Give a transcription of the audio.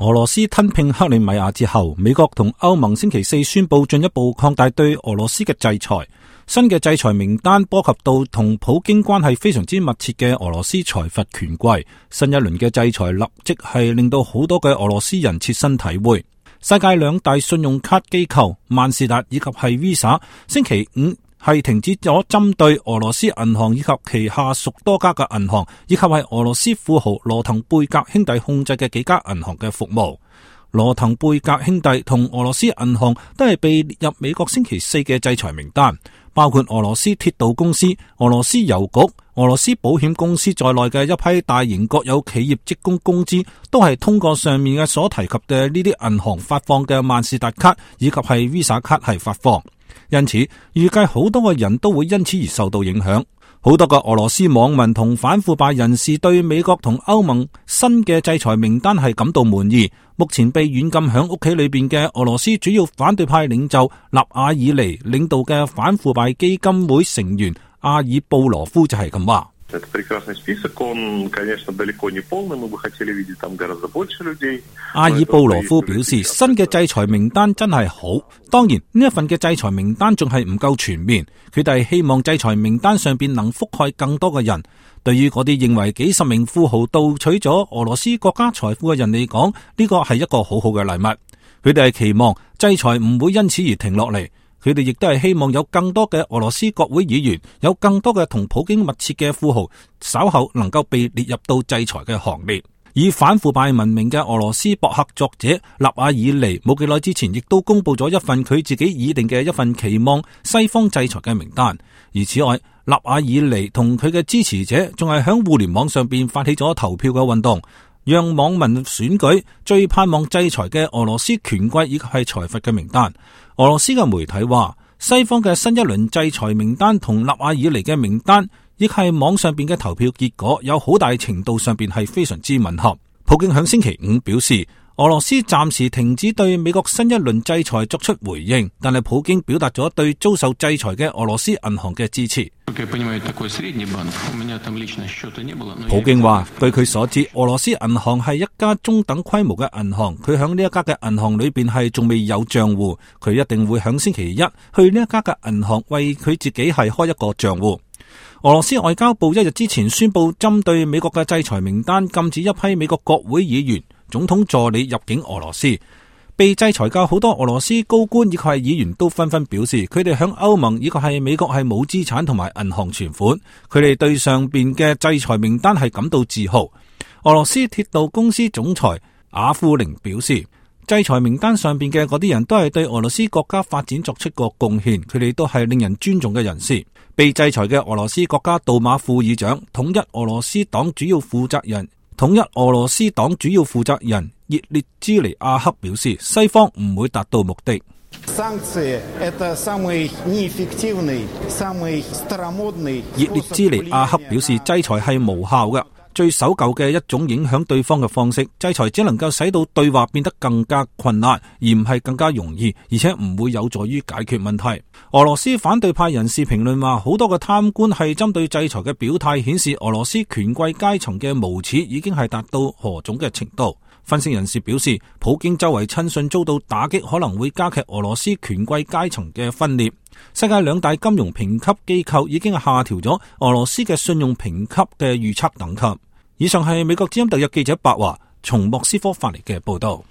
俄羅斯吞併克里米亞之後，美國同歐盟星期四宣布進一步擴大對俄羅斯嘅制裁。新嘅制裁名單波及到同普京關係非常之密切嘅俄羅斯財閥權貴。新一輪嘅制裁立即係令到好多嘅俄羅斯人切身體會。世界兩大信用卡機構萬事達以及係 Visa 星期五係停止咗針對俄羅斯銀行以及其下屬多家嘅銀行，以及係俄羅斯富豪羅騰貝格兄弟控制嘅幾家銀行嘅服務。羅騰貝格兄弟同俄羅斯銀行都係被列入美國星期四嘅制裁名單，包括俄羅斯鐵道公司、俄羅斯郵局、俄羅斯保險公司在內嘅一批大型國有企業職工工資都係通過上面嘅所提及嘅呢啲銀行發放嘅萬事達卡以及係 Visa 卡係發放。因此，預計好多個人都會因此而受到影響。好多個俄羅斯網民同反腐敗人士對美國同歐盟新嘅制裁名單係感到滿意。目前被軟禁響屋企裏邊嘅俄羅斯主要反對派領袖納瓦爾尼領導嘅反腐敗基金會成員阿爾布羅夫就係咁話。阿爾布羅夫表示，新嘅制裁名單真係好，當然呢一份嘅制裁名單仲係唔夠全面，佢哋希望制裁名單上邊能覆蓋更多嘅人。對於嗰啲認為幾十名富豪盜取咗俄羅斯國家財富嘅人嚟講，呢個係一個好好嘅禮物。佢哋係期望制裁唔會因此而停落嚟。佢哋亦都係希望有更多嘅俄羅斯國會議員，有更多嘅同普京密切嘅富豪，稍後能夠被列入到制裁嘅行列。以反腐敗聞名嘅俄羅斯博客作者納瓦爾尼冇幾耐之前，亦都公布咗一份佢自己擬定嘅一份期望西方制裁嘅名單。而此外，納瓦爾尼同佢嘅支持者仲係響互聯網上邊發起咗投票嘅運動，讓網民選舉最盼望制裁嘅俄羅斯權貴以及係財閥嘅名單。俄羅斯嘅媒體話，西方嘅新一輪制裁名單同納瓦爾尼嘅名單，亦係網上邊嘅投票結果有好大程度上邊係非常之吻合。普京響星期五表示，俄羅斯暫時停止對美國新一輪制裁作出回應，但係普京表達咗對遭受制裁嘅俄羅斯銀行嘅支持。普京話，據佢所知，俄羅斯銀行係一家中等規模嘅銀行，佢響呢一家嘅銀行裏邊係仲未有賬戶，佢一定會響星期一去呢一家嘅銀行為佢自己係開一個賬戶。俄羅斯外交部一日之前宣布，針對美國嘅制裁名單，禁止一批美國國會議員、總統助理入境俄羅斯。被制裁嘅好多俄羅斯高官以及係議員都紛紛表示，佢哋響歐盟以及係美國係冇資產同埋銀行存款，佢哋對上邊嘅制裁名單係感到自豪。俄羅斯鐵道公司總裁雅庫寧表示，制裁名單上邊嘅嗰啲人都係對俄羅斯國家發展作出過貢獻，佢哋都係令人尊重嘅人士。被制裁嘅俄羅斯國家杜馬副議長、統一俄羅斯黨主要負責人葉列茲尼亞克表示，西方唔會達到目的。葉列茲尼亞克表示，制裁係無效嘅，最守舊嘅一種影響對方嘅方式。制裁只能夠使到對話變得更加困難，而唔係更加容易，而且唔會有助於解決問題。俄羅斯反對派人士評論話，好多嘅貪官係針對制裁嘅表態，顯示俄羅斯權貴階層嘅無恥已經係達到何種嘅程度。分析人士表示，普京周圍親信遭到打擊，可能會加劇俄羅斯權貴階層嘅分裂。世界兩大金融評級機構已經下調咗俄羅斯嘅信用評級嘅預測等級。以上係美國之音特約記者白華從莫斯科發嚟嘅報道。